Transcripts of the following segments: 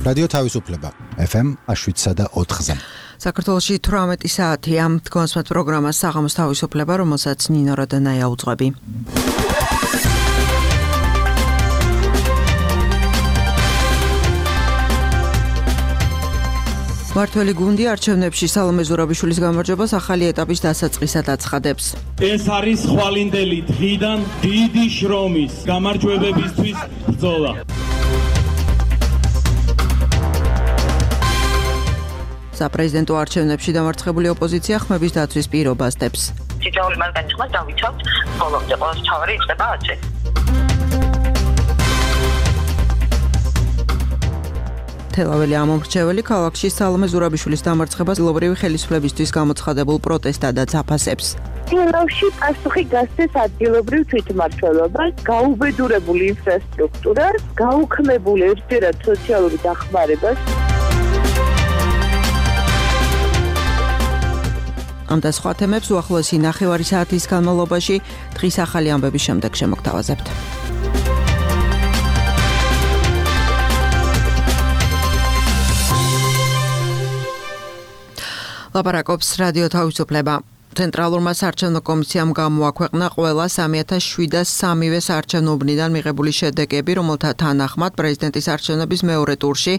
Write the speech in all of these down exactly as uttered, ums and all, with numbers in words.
რადიო თავისუფლება ეფ ემ შვიდსა და ოთხზე. საქართველოში თვრამეტი საათია. თქვენს პროგრამას საღამოს თავისუფლება, რომელსაც ნინო როდანაია უძღვები. მართველი გუნდი არჩევნებში სალომე ზურაბიშვილის გამარჯვებას ახალი ეტაპის დასაწყისად აცხადებს. ეს არის ხვალინდელი დღიდან დიდი შრომის გამარჯვებებისთვის ბრძოლა. საპრეზიდენტო არჩევნებში დამარცხებული ოპოზიცია ხმების დაცვის პირობას დებს. თითოეული მათგანი ხმას დავიცავთ, ბოლომდე ყოველთვის თავარი იწყება ათზე. თელაველი ამომრჩეველი ქალაქში სალომე ზურაბიშვილის დამარცხებას დილობრივი ხელისუფლებისთვის გამოცხადებულ პროტესტადაც აფასებს. თელავში პასუხი გასცეს ადგილობრივ თვითმმართველობას, გაუბედურებული ინფრასტრუქტურას, გაუქმებულ ერთჯერად სოციალური დახმარებას. ამ და სხვა თემებს უახლოესი ნახევარი საათის განმავლობაში დღის ახალი ამბების შემდეგ შემოგთავაზებთ. ლაპარაკობს რადიო თავისუფლება. ცენტრალურმა საარჩევნო კომისიამ გამოაქვეყნა ყველა სამი ათას შვიდას სამივე საარჩევნო უბნიდან მიღებული შედეგები, რომელთა თანახმად პრეზიდენტის არჩევნების მეორე ტურში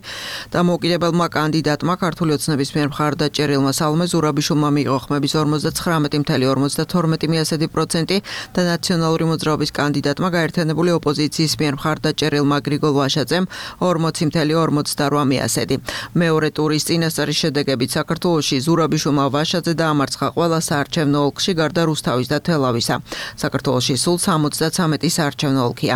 დამოუკიდებელმა კანდიდატმა ქართული ოცნების მიერ მხარდაჭერილმა სალომე ზურაბიშვილმა მიიღო ხმების ორმოცდათხრამეტი ფاصლე ორმოცდათორმეტი პროცენტი და ნაციონალური მოძრაობის კანდიდატმა გაერთიანებული ოპოზიციის მიერ მხარდაჭერილმა გრიგოლ ვაშაძემ ორმოცი ფاصლე ორმოცდარვა პროცენტი. მეორე ტურის წინასწარი შედეგებით საქართველოში ზურაბიშვილმა ვაშაძე დაამარცხა ყველა საარჩევნო ოლქში გარდა რუსთავის და თელავისა. საქართველოში სულ სამოცდათვრამეტი საარჩევნო ოლქია.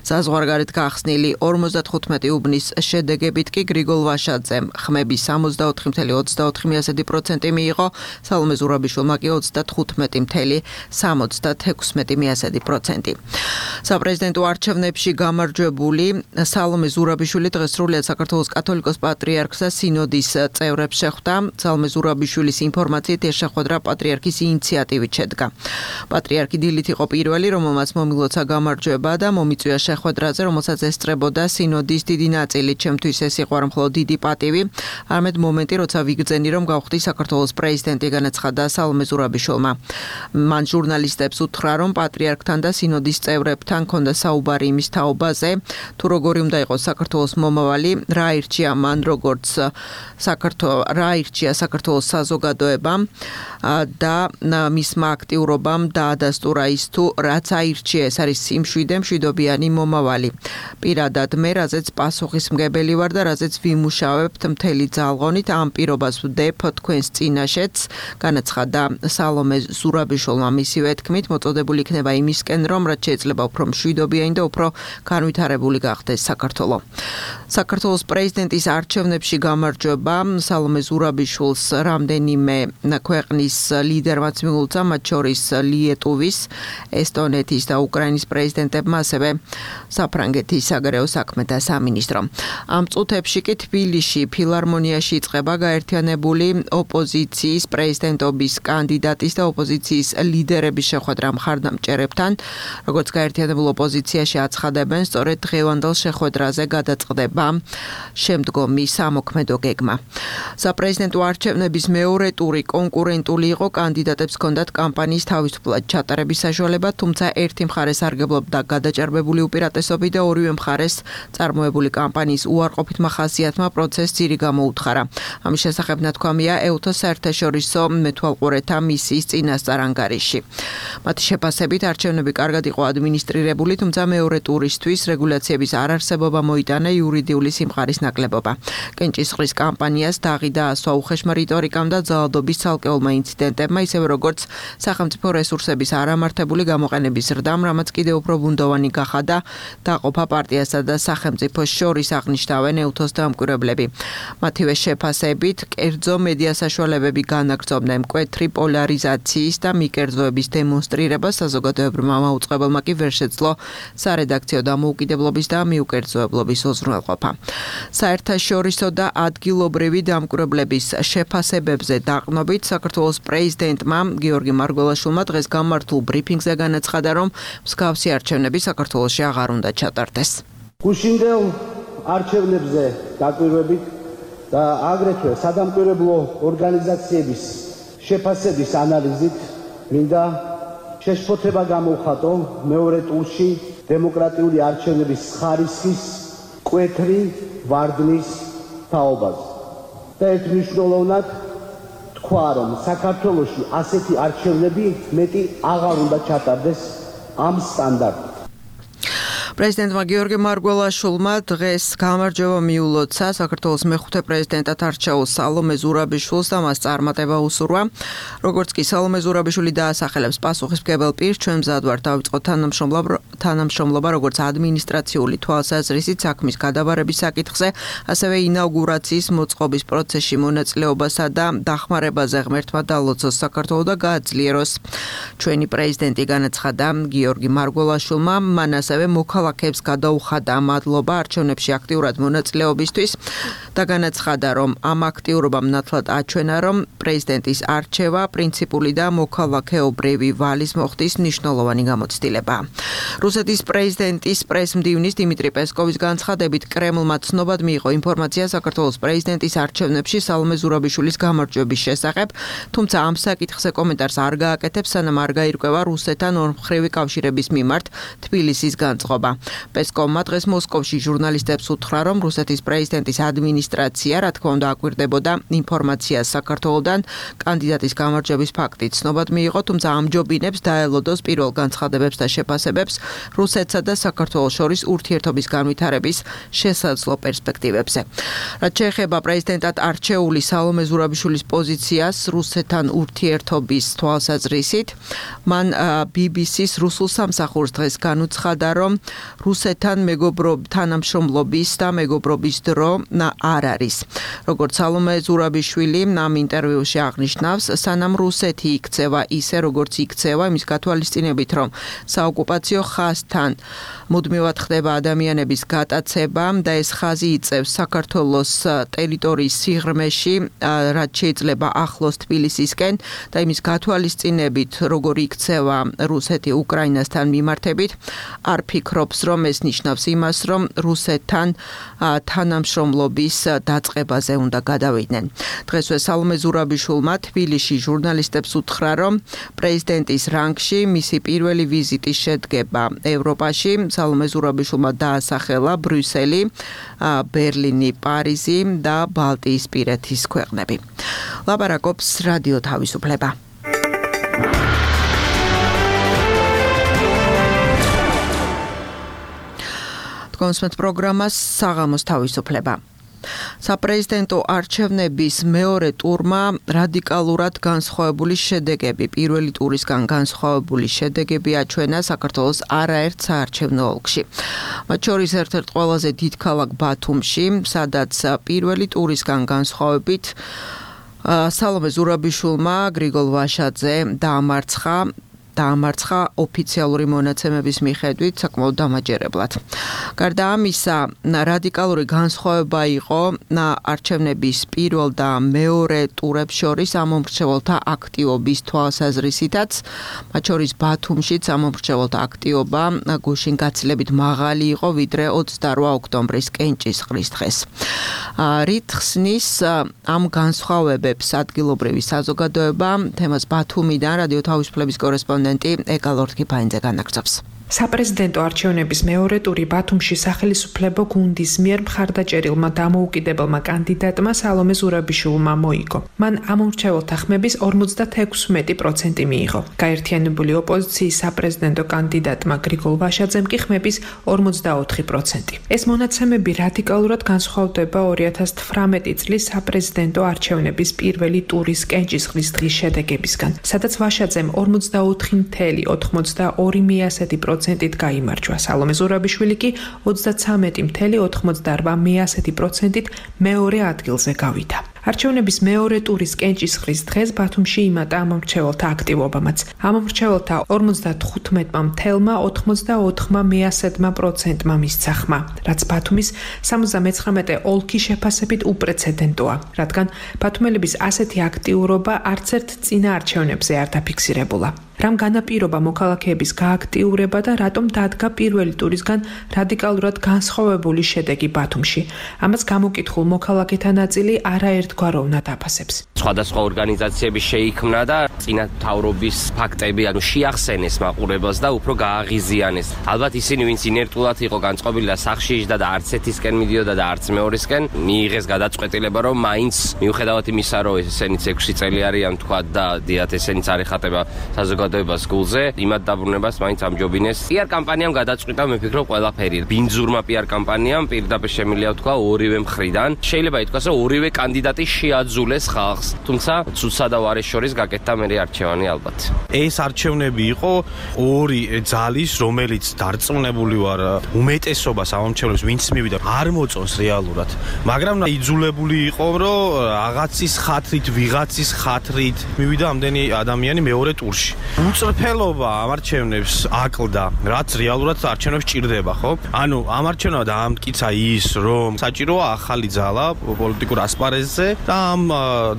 საზღვარგარეთ გახსნილი ორმოცდათხუთმეტი უბნის შედეგებით კი გრიგოლ ვაშაძემ ხმების სამოცდაოთხი ფاصლე ოცდაოთხი პროცენტი მიიღო, სალომე ზურაბიშვილმა კი ოცდათხუთმეტი ფاصლე სამოცდათექვსმეტი პროცენტი. საპრეზიდენტო არჩევნებში გამარჯვებული სალომე ზურაბიშვილი დღეს სრულიად საქართველოს კათოლიკოს პატრიარქს და სინოდის წევრებს შეხვდა. სალომე ზურაბიშვილის ინფორმაციით ეს შეხვედრა პატრიარქის ინიციატივით შედგა. პატრიარქი დილით იყო პირველი, რომელმაც მომილოცა გამარჯვება და მომიწვია შეხვედრაზე, რომელსაც ესწრებოდა სინოდის დიდი ნაწილი. ჩემთვის ეს იყო არა მხოლოდ დიდი პატივი, არამედ მომენტი, როცა ვიგრძენი, რომ გავხდი საქართველოს პრეზიდენტი, განაცხადა სალომე ზურაბიშვილმა. მან ჟურნალისტებს უთხრა, რომ პატრიარქთან და სინოდის წევრებთან ჰქონდა საუბარი იმის თაობაზე, თუ როგორი უნდა იყოს საქართველოს მომავალი, რა ირჩია მან როგორც საქართველოს რა ირჩია საქართველოს საზოგადოებამ და მისმა აქტიურობამ დაადასტურა ის თუ რაც აირჩია ეს არის სიმშვიდე მშვიდობიანი მომავალი. პირადად მე რაზეც პასუხისმგებელი ვარ და რაზეც ვიმუშავებთ მთელი ძალღონით ამ პირობას ვდებ თქვენს წინაშეც, განაცხადა სალომე ზურაბიშვილმა. მისივე თქმით მოწოდებული იქნება იმისკენ, რომ რაც შეიძლება უფრო მშვიდობიანი და უფრო განვითარებული გახდეს საქართველო. საქართველოს პრეზიდენტის არჩევნებში გამარჯვება სალომე ზურაბიშვილს რამდენიმე ქვეყნის ლიდერმაც მიულოცა, მათ შორის ლიეტუვის, ესტონეთის და უკრაინის პრეზიდენტებმა, ასევე საფრანგეთის საგარეო საქმეთა სამინისტრო. ამ წუთებში კი თბილისში ფილარმონიაში იწყება გაერთიანებული ოპოზიციის პრეზიდენტობის კანდიდატის და ოპოზიციის ლიდერების შეხვედრა მხარდამჭერებთან. როგორც გაერთიანებულ ოპოზიციაში აცხადებენ, სწორედ დღევანდელ შეხვედრაზე გადაწყდება შემდგომი სამოქმედო გეგმა. საპრეზიდენტო არჩევნების მეორე ტური კონკურენტული იყო, კანდიდატებს ჰქონდათ კამპანიის თავისუფლად ჩატარების საშუალება, თუმცა ერთი მხარე სარგებლობდა გადაჭარბებული უპირატესობით და ორივე მხარეს წარმოებული კამპანიის უარყოფით მახასიათმა პროცესს ძირი გამოუთხარა. ამის შესახებ ნათქვამია ეუთოს საერთაშორისო მეთვალყურეთა მისიის წინასწარ ანგარიში. მათი შეფასებით არჩევნები კარგად იყო ადმინისტრირებული, თუმცა მეორე ტურისთვის რეგულაციების არარსებობა მოიტანა იურიდიული სიმყარის ნაკლებობა. კენჭისყრის კამპანიას დაღიდა ასვა უხეშმა რიტორიკამ და ძალადობის ცალკეულმა ინციდენტებმა, ისევე როგორც სახელმწიფო რესურსების არამართებული გამოყენების ზრდამ, რამაც კიდევ უფრო ბუნდოვანი გახადა დაყოფა პარტიასა და სახელმწიფოს შორის, აღნიშნავენ ეუთოს დამკვირვებლები. მათივე შეფასებით, კერძო მედია საშუალებები განაგრძობდნენ მკვეთრი პოლარიზაციის და მიკერძოების დემონსტრირებას, საზოგადოებრივმა მაუწყებელმა კი ვერ შეძლო სარედაქციო დამოუკიდებლობის და მიუკერძოებლობის უზრუნველყოფა. საერთაშორისო და ადგილობრივი დამკვირვებლების შეფასებებზე დაყნობით საქართველოს პრეზიდენტმა გიორგი მარგველაშვილმა დღეს გამართულ ბრიფინგზე განაცხადა, რომ მსგავსი არჩევნები საქართველოში აღარ უნდა ჩატარდეს. გუშინდელ არჩევნებზე დაკვირვებით და აგრეთვე სადამკვირვებლო ორგანიზაციების შეფასების ანალიზით მინდა შეშფოთება გამოვხატო მეორე ტურში დემოკრატიული არჩევნების ხარისხის კვეთრი ვარდნის თაობაზე. და ერთ მნიშვნელოვნად თქვა, რომ საქართველოში ასეთი არჩევნები მეტი აღარ უნდა ჩატარდეს ამ სტანდარტით. პრეზიდენტმა გიორგი მარგველაშვილმა დღეს გამარჯვება მიულოცა საქართველოს მეხუთე პრეზიდენტად არჩეულ სალომე ზურაბიშვილს და მას წარმატება უსურვა. როგორც კი სალომე ზურაბიშვილი დაასახელებს პასუხისმგებელ პირს, ჩვენ მზად ვართ დავიწყოთ თანამშრომლობა როგორც ადმინისტრაციული თვალსაზრისით საქმის გადაბარების საკითხზე, ასევე ინაუგურაციის მოწყობის პროცესში მონაწილეობასა და დახმარებაზე ღმერთმა დალოცოს საქართველო და გააძლიეროს. ჩვენი პრეზიდენტი განაცხადა გიორგი მარგველაშვილმა, მან ასევე მოქალაქეებს გადაუხადა მადლობა არჩევნებში აქტიურად მონაწილეობისთვის და განაცხადა, რომ ამ აქტიურობამ ნათლად აჩვენა, რომ პრეზიდენტის არჩევა პრინციპული და მოქალაქეობრივი ვალის მოხდის მნიშვნელოვანი გამოცდილება. რუსეთის პრეზიდენტის პრესმდივნის დიმიტრი პესკოვის განცხადებით, კრემლმა ცნობად მიიღო ინფორმაცია საქართველოს პრეზიდენტის არჩევნებში სალომე ზურაბიშვილის გამარჯვების შესახებ, თუმცა ამ საკითხზე კომენტარს არ გააკეთებს, სანამ არ გაირკვევა რუსეთთან ორმხრივი კავშირების მიმართ თბილისის განწყობა. პესკოვმა დღეს მოსკოვში ჟურნალისტებს უთხრა, რომ რუსეთის პრეზიდენტის ადმინისტრაცია, რა თქმა უნდა, აკვირდებოდა ინფორმაციას საქართველოდან კანდიდატის გამარჯვების ფაქტით ცნობად მიიღო, თუმცა ამჯობინებს დაელოდოს პირველ განცხადებებს და შეფასებებს რუსეთსა და საქართველოს შორის ურთიერთობის განვითარების შესაძლო პერსპექტივებზე. რაც შეეხება პრეზიდენტად არჩეული სალომე ზურაბიშვილის პოზიციას რუსეთთან ურთიერთობის თვალსაზრისით, მან ბი ბი სის რუსულ სამსახურს დღეს განუცხადა, რომ რუსეთთან მეგობრობ თანამშრომლობის და მეგობრობის დრო არ არის. როგორც სალომე ზურაბიშვილი ამ ინტერვიუში აღნიშნავს, სანამ რუსეთი იქცევა ისე, როგორც იქცევა, იმის გათვალისწინებით, რომ საოკუპაციო ხაზთან მუდმივად ხდება ადამიანების გატაცება და ეს ხაზი იწევს საქართველოს ტერიტორიის სიღრმეში, რაც შეიძლება ახლოს თბილისისკენ და იმის გათვალისწინებით, როგორ იქცევა რუსეთი უკრაინასთან მიმართებით, არ ფიქრობს, რომ ეს ნიშნავს იმას, რომ რუსეთთან თანამშრომლობის დაწყებაზე უნდა გადავიდნენ. დღესვე სალომე ზურაბიშვილმა თბილისში ჟურნალისტებს უთხრა, რომ პრეზიდენტის რანგში მისი პირველი ვიზიტი შედგება ევროპაში. სალომე ზურაბიშვილმა დაასახელა ბრიუსელი, ბერლინი, პარიზი და ბალტიისპირეთის ქვეყნები. ლაპარაკობს რადიო თავისუფლება. კონსმეთ პროგრამას საღამოს თავისუფლება. საპრეზიდენტო არჩევნების მეორე ტურმა რადიკალურად განსხვავებული შედეგები, პირველი ტურისგან განსხვავებული შედეგები აჩვენა საქართველოს არაერთ საარჩევნო ოლქში. მათ შორის ერთ-ერთ ყველაზე დიდ ქალაქ ბათუმში, სადაც პირველი ტურისგან განსხვავებით სალომე ზურაბიშვილმა გრიგოლ ვაშაძე დაამარცხა დაამარცხა ოფიციალური მონაცემების მიხედვით საკმაოდ დამაჯერებლად. გარდა ამისა, რადიკალური განსხვავება იყო არჩევნების პირველ და მეორე ტურებს შორის ამომრჩეველთა აქტივობის თვალსაზრისითაც, მათ შორის ბათუმშიც ამომრჩეველთა აქტივობა გუშინ გაცილებით მაღალი იყო, ვიდრე ოცდაორ ოქტომბრის კენჭისყრის დღეს. რით ხსნის ამ განსხვავებებს ადგილობრივი საზოგადოება, თემას ბათუმიდან რადიო თავისუფლების კორესპონდენტი ეკალორთკი ფაინძე განაგრძობს. საპრეზიდენტო არჩევნების მეორე ტური ბათუმში სახელისუფლებო გუნდის მიერ მხარდაჭერილმა დამოუკიდებელმა კანდიდატმა სალომე ზურაბიშვილმა მოიგო. მან ამომრჩეველთა ხმების ორმოცდაექვსი პროცენტი მიიღო. გაერთიანებული ოპოზიციის საპრეზიდენტო კანდიდატმა გრიგოლ ვაშაძემ კი ხმების ორმოცდაოთხი პროცენტი. ეს მონაცემები რადიკალურად განსხვავდება ორი ათას თვრამეტი წლის საპრეზიდენტო არჩევნების პირველი ტურის კენჭისყრის დღის შედეგებისგან, სადაც ვაშაძემ ორმოცდაოთხი целых ოთხმოცდაორი პროცენტი პროცენტით გაიმარჯვა. სალომე ზურაბიშვილი კი ოცდაცამეტი целых ოთხმოცდაორბა პროცენტით მეორე ადგილზე გავიდა. არჩევნების მეორე ტურის კენჭისყრის დღეს ბათუმში იმატა ამომრჩეველთა აქტივობამაც. ამომრჩეველთა ორმოცდათხუთმეტ целых ოთხმოცდაოთხ პროცენტმა მისცა ხმა, რაც ბათუმის სამოცდამეცხრამეტე ოლქის შეფასებით უპრეცედენტოა, რადგან ბათუმელების ასეთი აქტიურობა არც ერთ წინა არჩევნებზე არ დაფიქსირებულა. რამ განაპირობა მოქალაქეების გააქტიურება და რატომ დადგა პირველი ტურისგან რადიკალურად განსხვავებული შედეგი ბათუმში. ამას გამოკითხულ მოქალაქეთა ნაწილი არაერთგვაროვნად აფასებს. სხვადასხვა ორგანიზაციები შეიქმნა და წინა მთავრობის ფაქტები ანუ შეახსენეს მაყურებელს და უფრო გააღიზიანეს. ალბათ ისინი ვინც ინერტულად იყო განწყობილი და სახში იჯდა და არც ერთისკენ მიდიოდა და არც მეორისკენ მიიღეს გადაწყვეტილება რომ მაინც მიუხედავად იმისა რომ ესენიც ექვსი წელი არიან თქვა და დიათ ესენიც არ ეხატება საზოგადოებას გულზე იმად დაბრუნებას მაინც ამჯობინეს. პიარ კამპანიამ გადაწყვიტა მე ვფიქრობ ყველაფერი. ბინძურმა პიარ კამპანიამ პირდაპირ შემიძლია თქვა ორივე მხრიდან. შეიძლება ითქვას რომ ორივე კანდიდატი შეაძულეს ხალხს. თუმცა ცუცსა და ვარის შორის გაკეთდა მერე არჩევანი ალბათ. ეს არჩევნები იყო ორი ძალის, რომელიც დარწმუნებული ვარ უმეტესობა სამომრჩევლებს ვინც მივიდა არ მოწონს რეალურად. მაგრამ იძულებული იყო რომ რაღაცის ხათრით, ვიღაცის ხათრით მივიდა ამდენი ადამიანი მეორე ტურში. უწრფელობა ამ არჩევნებს აკლდა, რაც რეალურად არჩევნებს ჭირდება, ხო? ანუ ამ არჩევნებმა დაამტკიცა ის, რომ საჭიროა ახალი ძალა პოლიტიკურ ასპარეზზე და ამ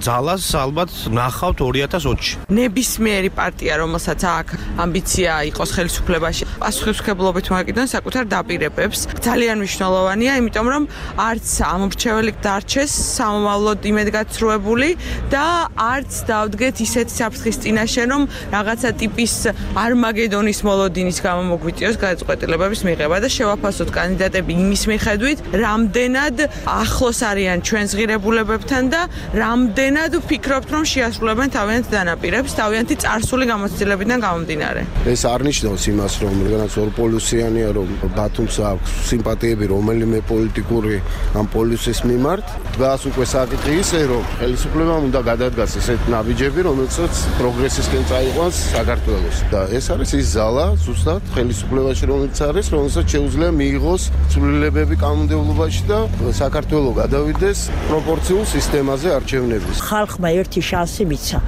ძალას ალბათ ნახავთ ორი ათას ოცში. ნებისმიერი პარტია, რომელსაც აქვს ამბიცია იყოს ხელისუფლებაში, პასუხისმგებლობით მოეკიდოს საკუთარ დაპირებებს. ძალიან მნიშვნელოვანია, იმიტომ რომ არც ამომრჩეველი დარჩეს სამომავლოდ იმედგაცრუებული და არც დავდგეთ ისეთ საფრთხის წინაშე, რომ რაღაცა ტიპის არმაგედონის მოლოდინის გამო მოგვიწიოს გადაწყვეტილებების მიღება და შევაფასოთ კანდიდატები იმის მიხედვით, რამდენად ახლოს არიან ჩვენს ღირებულებებთან და რამდენად ვფიქრობთ, რომ შეასრულებენ თავიანთ დანაპირებს, თავიანთი წარსული გამოცდილებიდან გამომდინარე. ეს არ ნიშნავს იმას, რომ რაღაც ორპოლუსიანია, რომ ბათუმს აქვს სიმპათიები რომელიმე პოლიტიკური ამ პოლუსის მიმართ. დღეს უკვე საკითხი ისე, რომ ხელისუფლებამ უნდა გადადგას ესეთ ნაბიჯები, რომელსაც პროგრესისკენ წაიყვანს საქართველოს. და ეს არის ის ზალა, ზუსტად ხელისუფლებაში რომელიც არის, რომელსაც შეუძლია მიიღოს ცვლილებები კანონმდებლობაში და საქართველოს გადავიდეს პროპორციულ სისტემაზე არჩევნების. ხალხმა ერთი შანსი მიცა.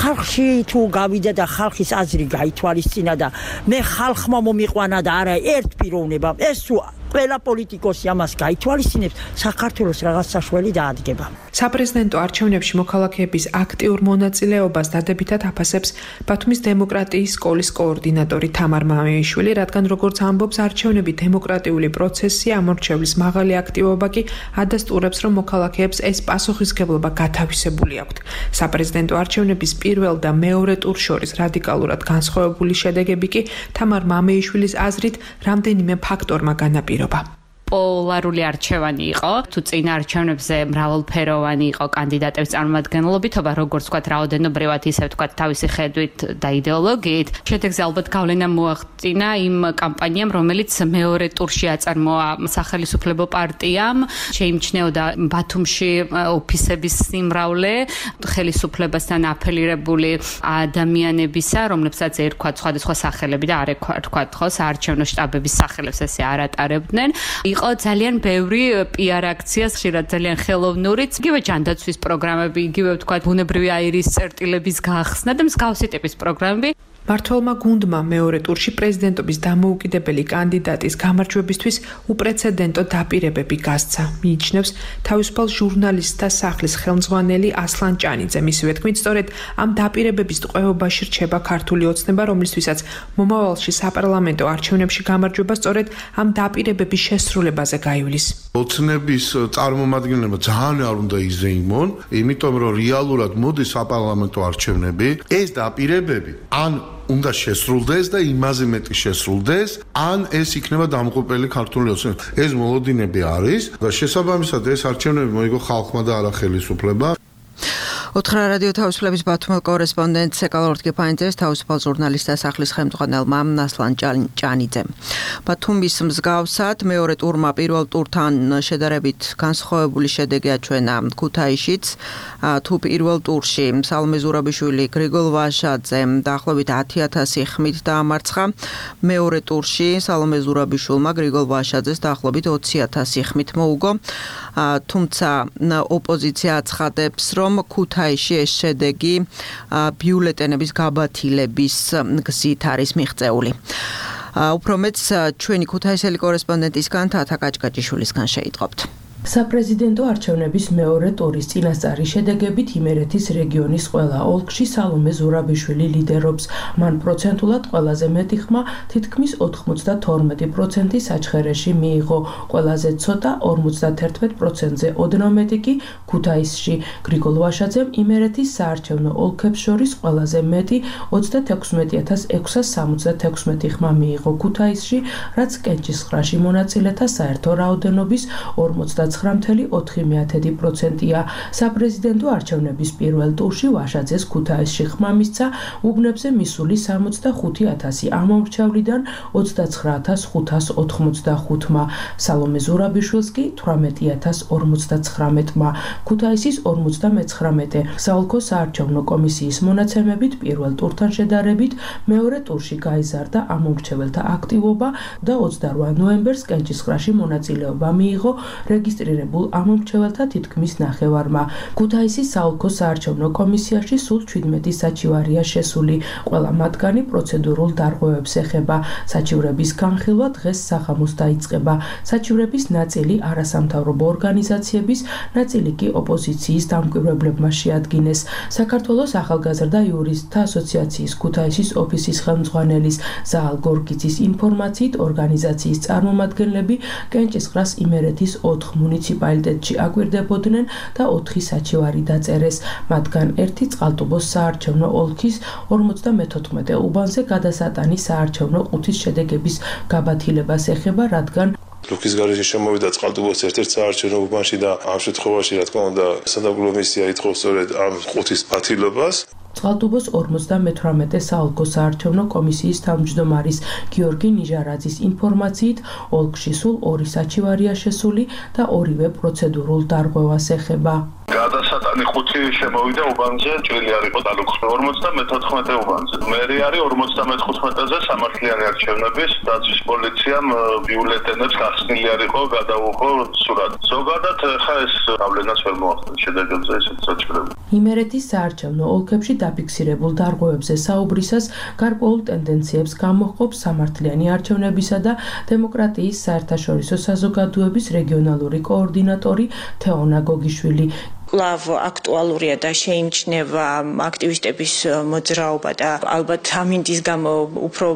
ხალხში თუ გავიდა და ხალხის აზრი გაითვალისწინა და მე ხალხმა მომიყვანა და არა ერთ პიროვნებამ, ეს თუ ყველა პოლიტიკოსი ამას გაითვალისწინებს, საქართველოს რაღაც საშველი დაადგება. საპრეზიდენტო არჩევნებში მოქალაქეების აქტიურ მონაწილეობას დადებითად აფასებს ბათუმის დემოკრატიის სკოლის კოორდინატორი თამარ მამეიშვილი, რადგან როგორც ამბობს, არჩევნები დემოკრატიული პროცესია, ამორჩევლის მაღალი აქტივობა კი ადასტურებს, რომ მოქალაქეებს ეს პასუხისმგებლობა გათავისებული აქვთ. საპრეზიდენტო არჩევნების პირველ და მეორე ტურს შორის რადიკალურად განსხვავებული შედეგები კი თამარ მამეიშვილის აზრით რამდენიმე ფაქტორმა განაპირობა. პოლარული არჩევანი იყო, თუ წინა არჩევნებზე მრავალფეროვანი იყო კანდიდატების წარმომადგენლობითობა, როგორც ვთქვათ, რაოდენობრივად, ისე ვთქვათ, თავისი ხედვით და იდეოლოგიით. შედეგზე ალბათ გავლენა მოახდინა იმ კამპანიამ, რომელიც მეორე ტურში აწარმოა სახელისუფლებო პარტიამ, შეიმჩნეოდა ბათუმში ოფისების სიმრავლე, ხელისუფლებასთან აფილირებული ადამიანებისა, რომლებსაც ერქვათ სხვადასხვა სახელები და არ ერქვათ ხო საარჩევნო შტაბების სახელებს ესე არ ატარებდნენ. იყო ძალიან ბევრი პიარ აქცია, ხშირად ძალიან ხელოვნურიც, იგივე ჯანდაცვის პროგრამები, იგივე ვთქვათ, ბუნებრივი აირის წერტილების გახსნა და მსგავსი ტიპის პროგრამები. მმართველმა გუნდმა მეორე ტურში პრეზიდენტობის დამოუკიდებელი კანდიდატის გამარჯვებისთვის უპრეცედენტო დაპირებები გასცა. მიიჩნევს თავისუფალ ჟურნალისტთა სახლის ხელმძღვანელი ასლან ჭანიძე. მისივე თქმით, სწორედ ამ დაპირებების ტყვეობაში რჩება ქართული ოცნება, რომლისთვისაც მომავალში საპარლამენტო არჩევნებში გამარჯვება სწორედ ამ დაპირებების შესრულებაზე გაივლის. ოცნების წარმომადგენლობა ძალიან არ უნდა იზეიმონ, იმიტომ რომ რეალურად მოდის საპარლამენტო არჩევნები, ეს დაპირებები ან უნდა შესრულდეს და იმაზე მეტი შესრულდეს, ან ეს იქნება დამღუპელი ქართული ოცნება. ეს მოლოდინები არის და შესაბამისად ეს არჩევნები მოიგო ხალხმა და არა ხელისუფლებამ. ოთხრა რადიო თავისუფლების ბათუმელ კორესპონდენტ ეკალორდ გეფაინძეს თავისუფალ ჟურნალისტთა სახლის ხელმძღვანელმა ასლან ჭანიძემ. ბათუმის მსგავსად მეორე ტურმა პირველ ტურთან შედარებით განსხვავებული შედეგი აჩვენა ქუთაისშიც. თუ პირველ ტურში სალომე ზურაბიშვილი გრიგოლ ვაშაძემ დაახლოებით ათი ათასი ხმით დაამარცხა, მეორე ტურში სალომე ზურაბიშვილმა გრიგოლ ვაშაძეს დაახლოებით ოცი ათასი ხმით მოუგო. თუმცა ოპოზიცია აცხადებს, რომ ქუთაისში ეს შედეგი ბიულეტენების გაბათილების გზით არის მიღწეული. უფრო მეც ჩვენი ქუთაისელი კორესპონდენტისგან თათა კაჭკაჭიშვილისგან შეიტყობთ. საპრეზიდენტო არჩევნების მეორე ტურის წინასწარი შედეგებით იმერეთის რეგიონის ყველა ოლქში სალომე ზურაბიშვილი ლიდერობს. მან პროცენტულად ყველაზე მეტი ხმა, თითქმის ოთხმოცდათორმეტი პროცენტი საჩხერეში მიიღო. ყველაზე ცოტა ორმოცდაათერთმეტ პროცენტზე ოდნავ მეტი კი ქუთაისში. გრიგოლ ვაშაძემ იმერეთის საარჩევნო ოლქებს შორის ყველაზე მეტი ოცდათექვსმეტი ათას ექვსას სამოცდათექვსმეტი ხმა მიიღო ქუთაისში, რაც კენჭისყრაში მონაწილეთა საერთო რაოდენობის ორმოცდაცხრა ცხრა ოთხი პროცენტია. საპრეზიდენტო არჩევნების პირველ ტურში ვაშაძეს ქუთაისში ხმა მისცა უბნებზე მისული სამოცდახუთი ათასი ამომრჩევლიდან ოცდაცხრა ათას ხუთას ოთხმოცდახუთმა, სალომე ზურაბიშვილს კი თვრამეტი ათას ორმოცდაცხრამეტმა, ქუთაისის ორმოცდამეცხრამეტე. საოლქო საარჩევნო კომისიის მონაცემებით პირველ ტურთან შედარებით მეორე ტურში გაიზარდა ამომრჩეველთა აქტივობა და ოცდარვა ნოემბერს კენჭისყრაში მონაწილეობა მიიღო რეგისტრირებულ ამომრჩეველთა თითქმის ნახევარმა. ქუთაისის საოლქო საარჩევნო კომისიაში სულ ჩვიდმეტი საჩივარია შესული, ყველა მათგანი პროცედურულ დარღვევებს ეხება. საჩივრების განხილვა დღეს საღამოს დაიწყება. საჩივრების ნაწილი არასამთავრობო ორგანიზაციების, ნაწილი კი ოპოზიციის დამკვირვებლებმა შეადგინეს. საქართველოს ახალგაზრდა იურისტთა ასოციაციის ქუთაისის ოფისის ხელმძღვანელის ზაალ გორგიძის ინფორმაციით ორგანიზაციის წარმომადგენლები კენჭისყრას იმერეთის ოთხ მუნიციპალიტეტში აკვირდებოდნენ და ოთხი საჩივარი დაწერეს. მათგან ერთი წყალტუბოს საარჩევნო ოლქის ორმოცდამეთოთხმეტე უბანზე გადასატანი საარჩევნო ყუთის შედეგების გაბათილებას ეხება, რადგან რუქის გარეშე შემოვიდა წყალტუბოს ერთ-ერთ საარჩევნო უბანში და ამ შემთხვევაში რა თქმა უნდა სადაგულო მისია ითხოვს სწორედ ამ ყუთის ბათილებას. წყალტუბოს ორმოცდამეთვრამეტე საოლქო საარჩევნო კომისიის თავმჯდომარის გიორგი ნიჟარაძის ინფორმაციით ოლქში სულ ორი საჩივარია შესული და ორივე პროცედურულ დარღვევას ეხება. გადასატანი ხუთი შემოვიდა უბანზე, ჭრილი არ იყო დალუქს ორმოცდამეთოთხმეტე უბანზე. მერი არის ორმოცდამეთხუთმეტეზე სამართლიანი არჩევნების დაცვის პოლიციამ ბიულეტენებს გახსნილი არ იყო, გადაუხო სურათი. ზოგადად ხა ეს გავლენას ვერ მოახდენს შედეგებზე ესეთ საჩივრები. იმერეთის საარჩევნო ოლქებში დაფიქსირებულ დარღვევებზე საუბრისას გარკვეულ ტენდენციებს გამოჰყოფს სამართლიანი არჩევნებისა და დემოკრატიის საერთაშორისო საზოგადოების რეგიონალური კოორდინატორი თეონა გოგიშვილი. კვლავ აქტუალურია და შეიმჩნევა აქტივისტების მოძრაობა და ალბათ ამინდის გამო უფრო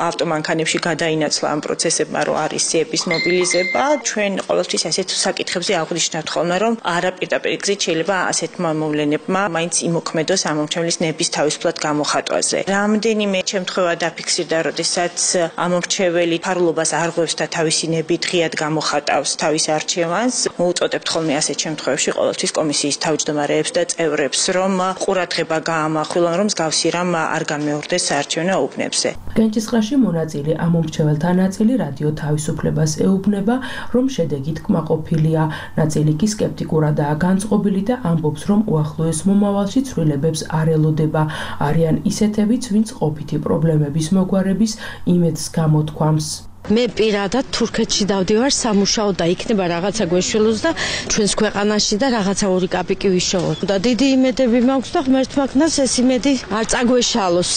ავტომანქანებში გადაინაცვლა ამ პროცესებმა, რომ არის სიების მობილიზება. ჩვენ ყოველთვის ასეთ საკითხებზე აღვნიშნავთ ხოლმე, რომ არა პირდაპირ გზით შეიძლება ასეთმა მოვლენებმა მაინც იმოქმედოს ამომრჩევლის ნების თავისუფლად გამოხატვაზე. რამდენიმე შემთხვევა დაფიქსირდა, როდესაც ამომრჩეველი ფარულობას არღვევს და თავისი ნებით ღიად გამოხატავს თავის არჩევანს. მოუწოდებთ ხოლმე ასეთ შემთხვევებში ყოველთვის კომისიის თავმჯდომარეებს და წევრებს, რომ ყურადღება გაამახვილონ, რომ მსგავსი რამ არ განმეორდეს საარჩევნო უბნებზე. კენჭისყრაში მონაწილე ამომრჩეველთა ნაწილი რადიო თავისუფლებას ეუბნება, რომ შედეგით კმაყოფილია. ნაწილი კი სკეპტიკურადაა განწყობილი და ამბობს, რომ უახლოეს მომავალში ცვლილებებს არ ელოდება. არიან ისეთებიც, ვინც ყოფითი პრობლემების მოგვარების იმედს გამოთქვამს. მე პირადად თურქეთში დავდივარ სამუშაოდ და იქნება რაღაცა გვეშველოს და ჩვენს ქვეყანაში და რაღაცა ორი კაპიკი ვიშოვოთ. და დიდი იმედები მაქვს და ღმერთმა ქნას ეს იმედი არ წაგვეშალოს.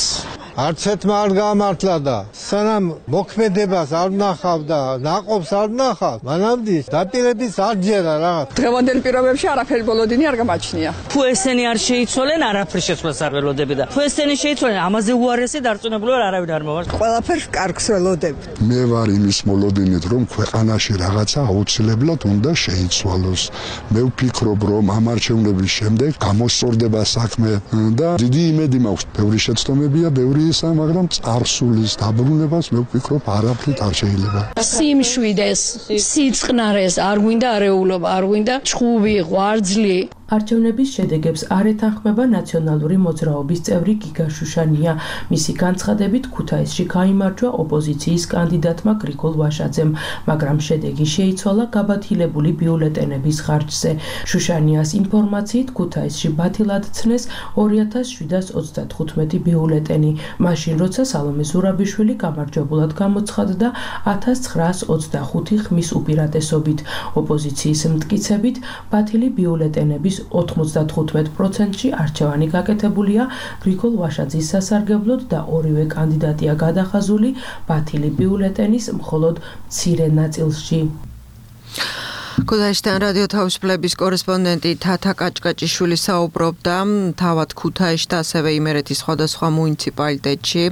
არც ერთმა არ გამართლა და სანამ მოქმედებას არ ნახავ და ნაყოფს არ ნახავ, მანამდე დაპირების არ ჯერა რაღაც. დღევანდელ პირობებში არაფერი ბოლოდინი არ გამაჩნია. თუ ესენი არ შეიცვალენ, არაფერი შეცვლას არ ველოდები და თუ ესენი შეიცვალენ, ამაზე უარესი დარწმუნებული ვარ, არავინ არ მოვარ. ყველაფერს კარგს ველოდები. მე ვარ იმის მოლოდინით, რომ ქვეყანაში რაღაცა აუცილებლად უნდა შეიცვალოს. მე ვფიქრობ, რომ ამ არჩევნების შემდეგ გამოსწორდება საქმე და დიდი იმედი მაქვს. ბევრი შეცდომებია, ბევრი ისა, მაგრამ წარსულის დაბრუნებას მე ვფიქრობ არაფრით არ შეიძლება. სიმშვიდეს, სიწყნარეს, არ გვინდა არეულობა, არ გვინდა ჩხუბი, ღვარძლი. არჩევნების შედეგებს არ ეთანხმება ნაციონალური მოძრაობის წევრი გიგა შუშანია. მისი განცხადებით, ქუთაისში გაიმარჯვა ოპოზიციის კანდიდატმა გრიგოლ ვაშაძემ, მაგრამ შედეგი შეიცვალა გაბათილებული ბიულეტენების ხარჯზე. შუშანიას ინფორმაციით, ქუთაისში ბათილად ცნეს ორი ათას შვიდას ოცდათხუთმეტი ბიულეტენი, მაშინ როცა სალომე ზურაბიშვილი გამარჯვებულად გამოცხადდა ათას ცხრაას ოცდახუთი ხმის უპირატესობით. ოპოზიციის მტკიცებით, ბათილი ბიულეტენების ოთხმოცდათხუთმეტ პროცენტში არჩევანი გაკეთებულია გრიგოლ ვაშაძის სასარგებლოდ და ორივე კანდიდატია გადახაზული ბათილი ბიულეტენის მხოლოდ მცირე ნაწილში. ქუთაისიდან რადიო თავისუფლების კორესპონდენტი თათა კაჭკაჭიშვილი საუბრობდა თავად ქუთაისში და ასევე იმერეთის სხვადასხვა მუნიციპალიტეტში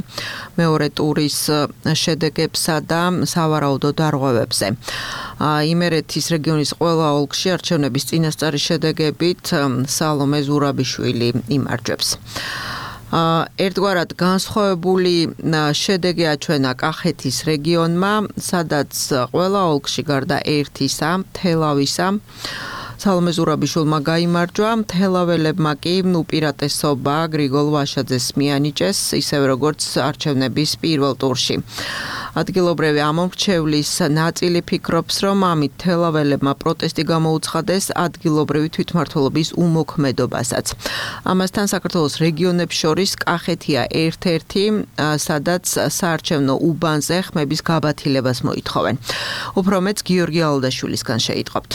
მეორე ტურის შედეგებსა და სავარაუდო დარღვევებზე. იმერეთის რეგიონის ყველა ოლქში არჩევნების წინასწარი შედეგებით სალომე ზურაბიშვილი იმარჯვებს. ერთგვარად განსხვავებული შედეგი აჩვენა კახეთის რეგიონმა, სადაც ყველა ოლქში გარდა ერთისა, თელავისა, სალომე ზურაბიშვილმა გაიმარჯვა, თელაველებმა კი უპირატესობა გრიგოლ ვაშაძეს მიანიჭეს, ისევე როგორც არჩევნების პირველ ტურში. ადგილობრივი ამომრჩევლის ნაწილი ფიქრობს, რომ ამით თელაველებმა პროტესტი გამოუცხადეს ადგილობრივი თვითმმართველობის უმოქმედობასაც. ამასთან საქართველოს რეგიონებს შორის კახეთია ერთ-ერთი, სადაც საარჩევნო უბანზე ხმების გაბათილებას მოითხოვენ. უფრო მეც გიორგი ალდაშვილისგან შეიტყობთ.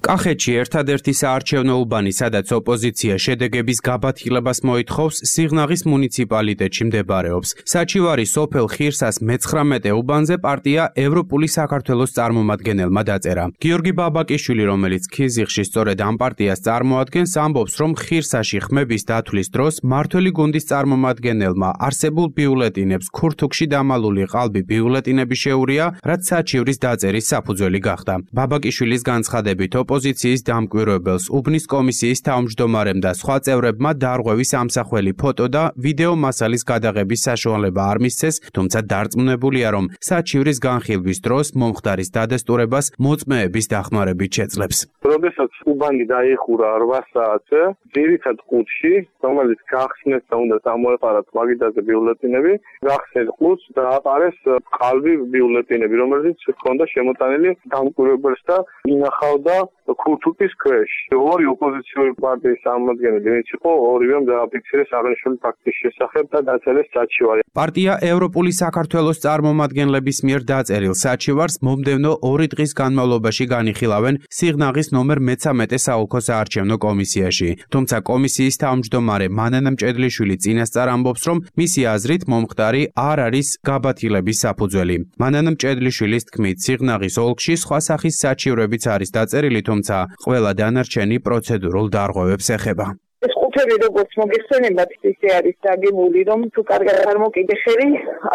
კახეთში ერთადერთი საარჩევნო უბანი, სადაც ოპოზიცია შედეგების გაბათილებას მოითხოვს, სიღნაღის მუნიციპალიტეტში მდებარეობს. საჩივარის სოფელ ხირსას მეცხრამეტე უბანზე პარტია ევროპული საქართველოს წარმომადგენელმა დაწერა. გიორგი ბაბაკიშვილი, რომელიც ქიზიხში სწორედ ამ პარტიას წარმოადგენს, ამბობს, რომ ხირსაში ხმების დათვლის დროს მართველი გუნდის წარმომადგენელმა არსებულ ბიულეტინებს ქურთუკში დამალული ყალბი ბიულეტინები შეურია, რაც საჩივრის დაწერის საფუძველი გახდა. ბაბაკიშვილის განცხადებით ოპოზიციის დამკვირვებელს, უბნის კომისიის თავმჯდომარემ და სხვა წევრებმა დარღვევის ამსახველი ფოტო და ვიდეო მასალის გადაღების საშუალება არ მისცეს, თუმცა დარწმუნებულია, რომ საჩივრის განხილვის დროს მომხდარის დადასტურებას მოწმეების დახმარებით შეძლებს. როდესაც უბანი დაიხურა რვა საათზე, ძირითად ყუთში, რომელიც გახსნეს და უნდა წამოეყარათ მაგიდაზე ბიულეტინები, გახსნეს ყუთს და აპარეს ყალბი ბიულეტინები, რომელიც ჰქონდა შემოტანილი დამკვირვებელს და ინახავდა ქურთუკის ქვეშ. ორი ოპოზიციური პარტიის წარმომადგენელი, ვინც იყო, ორივემ დააფიქსირეს აღნიშნული ფაქტის შესახებ და დაწერეს საჩივარი. პარტია ევროპული საქართველოს წარმომადგენლების მიერ დაწერილ საჩივარს მომდევნო ორი დღის განმავლობაში განიხილავენ სიღნაღის ნომერ მეცამეტე საოლქო საარჩევნო კომისიაში. თუმცა კომისიის თავმჯდომარე მანანა მჭედლიშვილი წინასწარ ამბობს, რომ მისი აზრით მომხდარი არ არის გაბათილების საფუძველი. მანანა მჭედლიშვილის თქმით, სიღნაღის ოლქში სხვა სახის საჩივრებიც არის დაწერილი, თუმცა ყველა დანარჩენი პროცედურულ დარღვევებს ეხება. ეს ყუთები როგორც მოგეხსენებათ, ისე არის დაგებული, რომ თუ კარგად არ მოკიდეხები,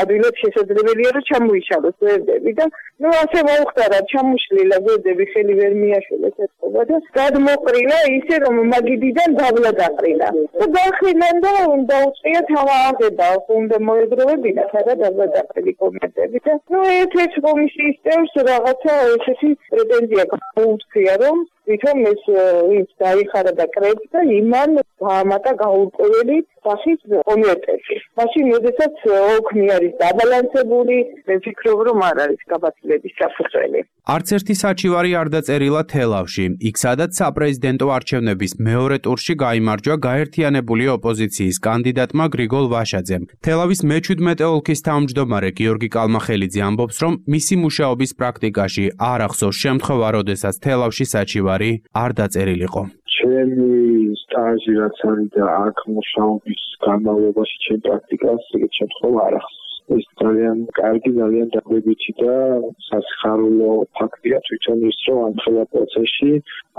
ადვილად შესაძლებელია რომ ჩამოიშალოს გვერდები და ნუ ასე მოუხდარა ჩამოშლილა გვერდები, ხელი ვერ მიაშველეს ეთქობა და გადმოყრილა ისე რომ მაგიდიდან დაბლა დაყრილა. და დაახრილან და დაუწყია თავაღება, უნდა მოეგროვებინა და დაბლა დაყრილი კომენტები და ნუ ერთ-ერთ კომისიის წევრს რაღაცა ესეთი პრეტენზია გაუწია, რომ თვითონ ეს ის დაიხარა და კრებს და იმან გაამატა გაურკვეველი სახის კომიტეტი. მაშინ როდესაც ოქმი არის დაბალანსებული, მე ვფიქრობ, რომ არ არის გაბათილების საფუძველი. არც ერთი საჩივარი არ დაწერილა თელავში, იქ სადაც საპრეზიდენტო არჩევნების მეორე ტურში გაიმარჯვა გაერთიანებული ოპოზიციის კანდიდატმა გრიგოლ ვაშაძემ. თელავის მეჩვიდმეტე ოლქის თავმჯდომარე გიორგი კალმახელიძე ამბობს, რომ მისი მუშაობის პრაქტიკაში არ ახსოვს შემთხვევა, როდესაც თელავში საჩივარი არ დაწერილიყო. ჩემი სტაჟი რაც არის და აქ მუშაობის განმავლობაში ჩემ პრაქტიკას ეგეთ შემთხვევა არ ახსოვს. ეს ძალიან კარგი, ძალიან დაგვებითი და სასიხარულო ფაქტია თვითონ ის, რომ ამ ხელა პროცესში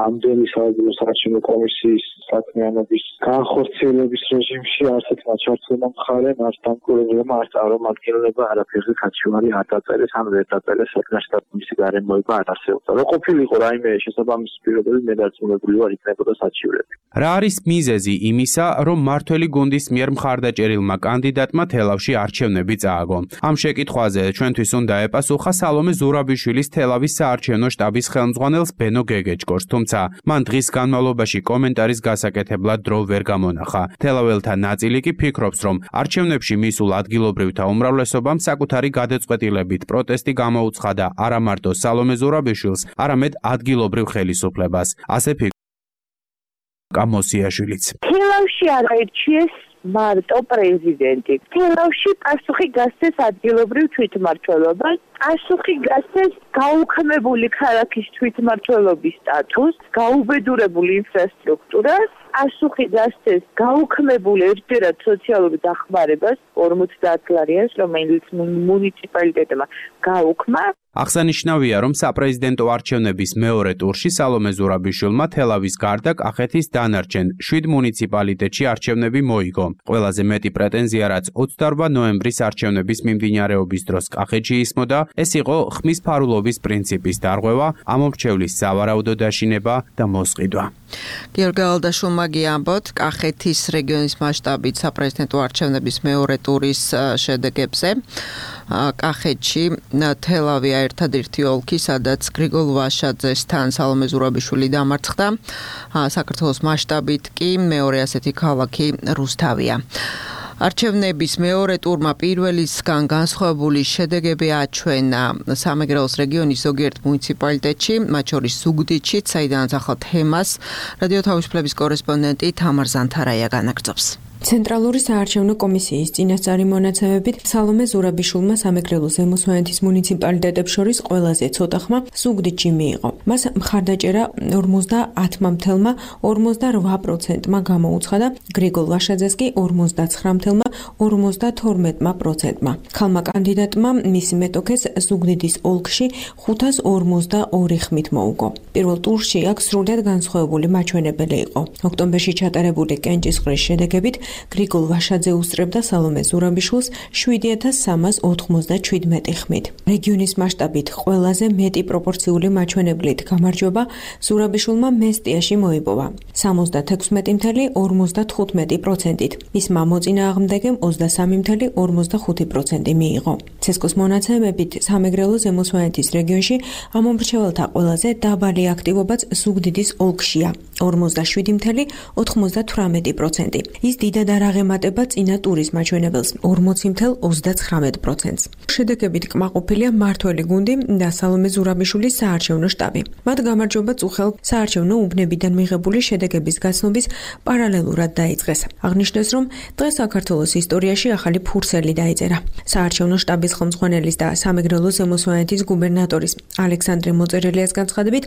ამდენი საერთო საარჩევნო კომისიის საქმიანობის განხორციელების რეჟიმში არც ერთ მაჩვენებელმა მხარემ, არც დამკვირვებელმა, არც წარმომადგენლებმა არაფერზე საჩივარი არ დაწერეს, ან ვერ დაწერეს საკუთარ სტატუსის გარემოება არ არსებობდა. რო ყოფილიყო რაიმე შესაბამისი პირობები, მე დარწმუნებული ვარ იქნებოდა საჩივრები. რა არის მიზეზი იმისა, რომ მართველი გუნდის მიერ მხარდაჭერილმა კანდიდატმა თელავში არჩევნები წააგო? ამ შეკითხვაზე ჩვენთვის უნდა ეპასუხა სალომე ზურაბიშვილის თელავის საარჩევნო შტაბის ხელმძღვანელს ბენო გეგეჭკორს, თუმცა მან დღის განმავლობაში კომენტარის გასაკეთებლად დრო ვერ გამონახა. თელაველთა ნაწილი კი ფიქრობს, რომ არჩევნებში მისულ ადგილობრივთა უმრავლესობამ საკუთარი გადაწყვეტილებით პროტესტი გამოუცხადა არა მარტო სალომე ზურაბიშვილს, არამედ ადგილობრივ ხელისუფლებას. ასე ფიქრობს გამოსიაშვილიც. თელავში არაერჩიეს მარტო პრეზიდენტი. თელავში პასუხი გასცეს ადგილობრივ თვითმმართველობას, პასუხი გასცეს გაუქმებული ქალაქის თვითმმართველობის სტატუსს, გაუბედურებული ინფრასტრუქტურას პასუხი დასცეს გაუქმებულ ერთგვარად სოციალურ დახმარებას ორმოცდაათ ლარიანს, რომელიც მუნიციპალიტეტმა გაუქმა. აღსანიშნავია, რომ საპრეზიდენტო არჩევნების მეორე ტურში სალომე ზურაბიშვილმა თელავის გარდა კახეთის დანარჩენ შვიდ მუნიციპალიტეტში არჩევნები მოიგო. ყველაზე მეტი პრეტენზია, რაც ოცდაორმა ნოემბრის არჩევნების მიმდინარეობის დროს კახეთში ისმოდა, ეს იყო ხმის ფარულობის პრინციპის დარღვევა, ამომრჩევლის სავარაუდო დაშინება და მოსყიდვა. გიორგი ალდაშულმა გიამბოთ კახეთის რეგიონის მასშტაბით საპრეზიდენტო არჩევნების მეორე ტურის შედეგებზე. კახეთში თელავია ერთადერთი ოლქი, სადაც გრიგოლ ვაშაძესთან სალომე ზურაბიშვილი დამარცხდა. საქართველოს მასშტაბით კი მეორე ასეთი ქალაქი რუსთავია. არჩევნების მეორე ტურმა პირველისგან განსხვავებული შედეგები აჩვენა სამეგრელოს რეგიონის ზოგიერთ მუნიციპალიტეტში, მათ შორის ზუგდიდში, საიდანაც ახალ თემას რადიო თავისუფლების კორესპონდენტი თამარ ზანთარაია განაგრძობს. ცენტრალური საარჩევნო კომისიის წინასწარი მონაცემებით სალომე ზურაბიშვილმა სამეგრელო ზემო სვანეთის მუნიციპალიტეტებს შორის ყველაზე ცოტა ხმა ზუგდიდში მიიღო. მას მხარდაჭერა ორმოცდაათმა მთელმა ორმოცდარვა პროცენტმა გამოუცხადა, გრიგოლ ვაშაძეს კი ორმოცდაცხრა ორმოცდათორმეტმა პროცენტმა. ქალმა კანდიდატმა მისი მეტოქეს ზუგდიდის ოლქში ხუთას ორმოცდაორი ხმით მოუგო. პირველ ტურში აქ სრულად განსხვავებული მაჩვენებელი იყო. ოქტომბერში ჩატარებული კენჭისყრის შედეგებით გრიგოლ ვაშაძე უსწრებდა სალომე ზურაბიშვილს შვიდი ათას სამას ოთხმოცდაშვიდმეტი ხმით. რეგიონის მასშტაბით ყველაზე მეტი პროპორციული მაჩვენებლით გამარჯვება ზურაბიშვილმა მესტიაში მოიპოვა სამოცდათექვსმეტი ათეული ორმოცდათხუთმეტი პროცენტით. მისმა მოწინააღმდეგემ ოცდასამი ათეული ორმოცდახუთი პროცენტი მიიღო. ცესკოს მონაცემებით სამეგრელო ზემო სვანეთის რეგიონში ამომრჩეველთა ყველაზე დაბალი აქტივობაც ზუგდიდის ოლქშია ორმოცდაშვიდი ათეული ოთხმოცდათვრამეტი პროცენტი. ის დიდად არ აღემატება წინა ტურის მაჩვენებელს ორმოცი ათეული ოცდაცხრამეტი პროცენტს. შედეგებით კმაყოფილია მართველი გუნდი და სალომე ზურაბიშვილის საარჩევნო შტაბი. მათ გამარჯვება წუხელ საარჩევნო უბნებიდან მიღებული შედეგების გაცნობის პარალელურად დაიწყეს. აღნიშნეს, რომ დღეს საქართველოს ისტორიაში ახალი ფურცელი დაიწერა. საარჩევნო შტაბის ხელმძღვანელის და სამეგრელო ზემო სვანეთის გუბერნატორის ალექსანდრე მოწერელიას განცხადებით,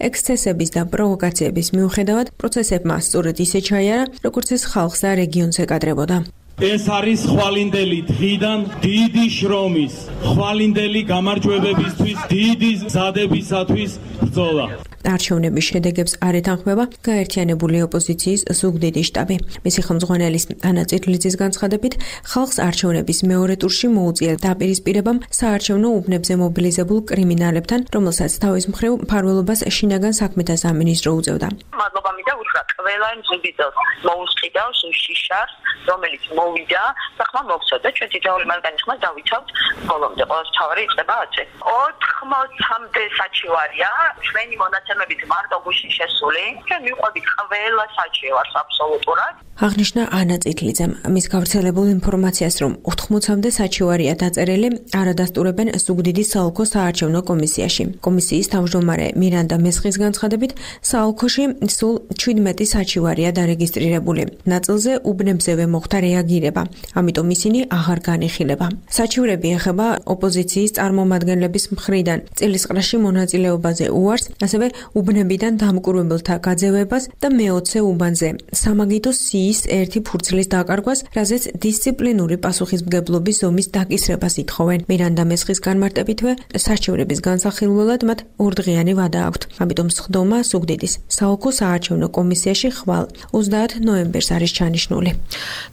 ექსცესების და პროვოკაციების მიუხედავად პროცესებმა სწორედ ისე ჩაიარა, როგორც ეს ხალხს და რეგიონს ეკადრებოდა. ეს არის ხვალინდელი დღიდან დიდი შრომის, ხვალინდელი გამარჯვებებისთვის, დიდი მზადებისათვის ბრძოლა. არჩევნების შედეგებს არ ეთანხმება გაერთიანებული ოპოზიციის ზუგდიდის შტაბი. მისი ხელმძღვანელის ანა წირლიძის განცხადებით, ხალხს არჩევნების მეორე ტურში მოუწია დაპირისპირებამ საარჩევნო უბნებზე მობილიზებულ კრიმინალებთან, რომელსაც თავის მხრივ მფარველობას შინაგან საქმეთა სამინისტრო უწევდა. მადლობა მინდა უთხრა ყველა ზუგდიდელს მოუსყიდავს შიშას, რომელიც მოვიდა და ხმა მოგცოდა. ჩვენ თითოეული მათგანი ხმა დავიცავთ ბოლომდე. ყოველთვის თავი იწყება ათზე. ოთხმოცამდე საჩივარია ჩვენი მონაცემებით მარტო გუშინ შესული. ჩვენ მივყვებით ყველა საჩივარს აბსოლუტურად. აღნიშნა ანა წითლიძემ მის გავრცელებულ ინფორმაციას, რომ ოთხმოცამდე საჩივარია დაწერილი, არადასტურებენ ზუგდიდის საოლქო საარჩევნო კომისიაში. კომისიის თავმჯდომარე მირანდა მესხის განცხადებით, საოლქოში სულ შვიდმეტი საჩივარია დარეგისტრირებული. ნაწილზე უბნებზევე მოხდა რეაგირება, ამიტომ ისინი აღარ განიხილება. საჩივრები ეხება ოპოზიციის წარმომადგენლების მხრიდან წილისყრაში მონაწილეობაზე უარს, ასევე უბნებიდან დამკვირვებელთა გაძევებას და მეოცე უბანზე სამაგიდო სიის ერთი ფურცლის დაკარგვას, რაზეც დისციპლინური პასუხისმგებლობის ზომის დაკისრებას ითხოვენ. მირანდა მესხის განმარტებითვე, საჩივრების განსახილველად მათ ორდღიანი ვადა აქვთ. ამიტომ სხდომა ზუგდიდის საოლქო საარჩევნო კომისიაში ხვალ ოცდაათ ნოემბერს არის ჩანიშნული.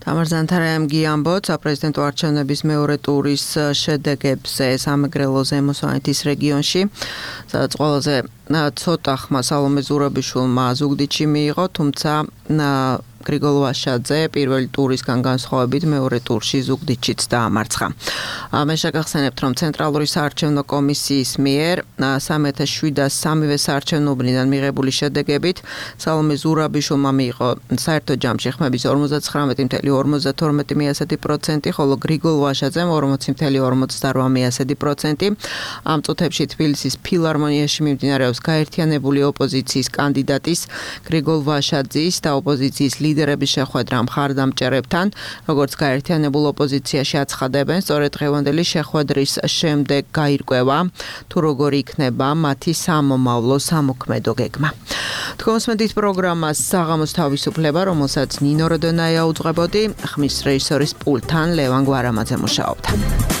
თამარ ზანთარაიამ გიამბოთ საპრეზიდენტო არჩევნების მეორე ტურის შედეგებზე სამეგრელო ზემო სვანეთის რეგიონში, სადაც ყველაზე ცოტა ხმა სალომე ზურაბიშვილმა ზუგდიდში მიიღო, თუმცა გრიგოლ ვაშაძე პირველი ტურისგან განსხვავებით მეორე ტურში ზუგდიდშიც დაამარცხა. მე შეგახსენებთ, რომ ცენტრალური საარჩევნო კომისიის მიერ სამი ათას შვიდას სამივე საარჩევნო უბნიდან მიღებული შედეგებით სალომე ზურაბიშვილმა მიიღო საერთო ჯამში ხმების ორმოცდაცხრამეტი ათეული ორმოცდათორმეტი პროცენტი, ხოლო გრიგოლ ვაშაძემ ორმოცი ათეული ორმოცდარვა პროცენტი. ამ წუთებში თბილისის ფილარმონიაში მიმდინარეობს გაერთიანებული ოპოზიციის კანდიდატის გრიგოლ ვაშაძის და ოპოზიციის ლიდერის ლიდერების შეხვედრა მხარდამჭერებთან, როგორც გაერთიანებულ ოპოზიციაში აცხადებენ, სწორედ დღევანდელი შეხვედრის შემდეგ გაირკვევა, თუ როგორ იქნება მათი სამომავლო სამოქმედო გეგმა. თქვენსმენთ პროგრამას საღამოს თავისუფლება, რომელსაც ნინო როდონაია უძღვებოდი, ხმის რეჟისორის პულტთან ლევან გვარამაძე მუშაობდა.